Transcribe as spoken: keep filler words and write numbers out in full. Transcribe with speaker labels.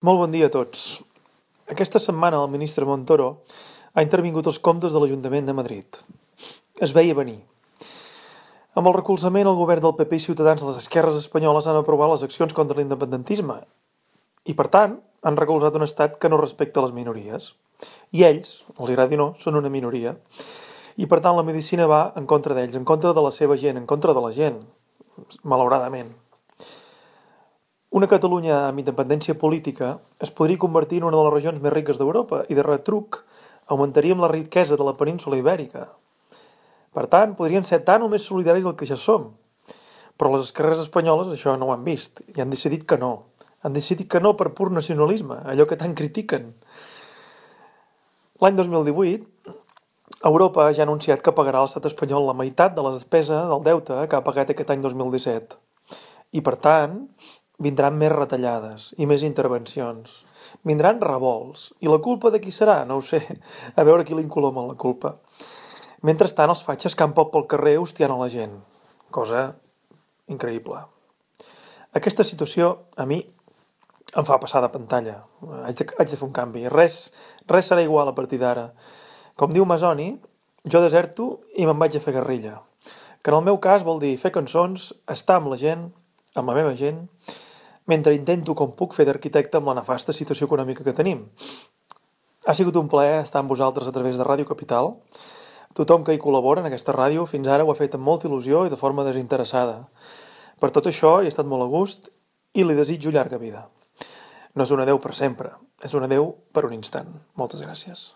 Speaker 1: Molt bon dia a tots. Aquesta setmana el ministre Montoro ha intervingut als comptes de l'Ajuntament de Madrid. Es veia venir. Amb el recolzament al govern del P P i Ciutadans, les esquerres espanyoles han aprovat les accions contra l'independentisme i, per tant, han recolzat un estat que no respecta les minories. I ells, els agradi o no, són una minoria. I, per tant, la medicina va en contra d'ells, en contra de la seva gent, en contra de la gent, malauradament. Una Catalunya amb independència política es podria convertir en una de les regions més riques d'Europa i, de retruc, augmentaríem la riquesa de la península ibèrica. Per tant, podrien ser tan o més solidaris del que ja som. Però les esquerres espanyoles això no ho han vist i han decidit que no. Han decidit que no per pur nacionalisme, allò que tant critiquen. L'any dos mil divuit, Europa ja ha anunciat que pagarà a l'estat espanyol la meitat de la despesa del deute que ha pagat aquest any dos mil disset. I, per tant, vindran més retallades i més intervencions. Vindran revolts. I la culpa de qui serà? No ho sé. A veure qui l'incoloma la culpa. Mentrestant, els fatxes campen pel carrer hostiant a la gent. Cosa increïble. Aquesta situació, a mi, em fa passar de pantalla. Haig de, haig de fer un canvi. Res, res serà igual a partir d'ara. Com diu Masoni, jo deserto i me'n vaig a fer guerrilla. Que en el meu cas vol dir fer cançons, estar amb la gent, amb la meva gent, mentre intento com puc fer d'arquitecte amb la nefasta situació econòmica que tenim. Ha sigut un plaer estar amb vosaltres a través de Ràdio Capital. Tothom que hi col·labora en aquesta ràdio fins ara ho ha fet amb molta il·lusió i de forma desinteressada. Per tot això he estat molt a gust i li desitjo llarga vida. No és un adeu per sempre, és un adeu per un instant. Moltes gràcies.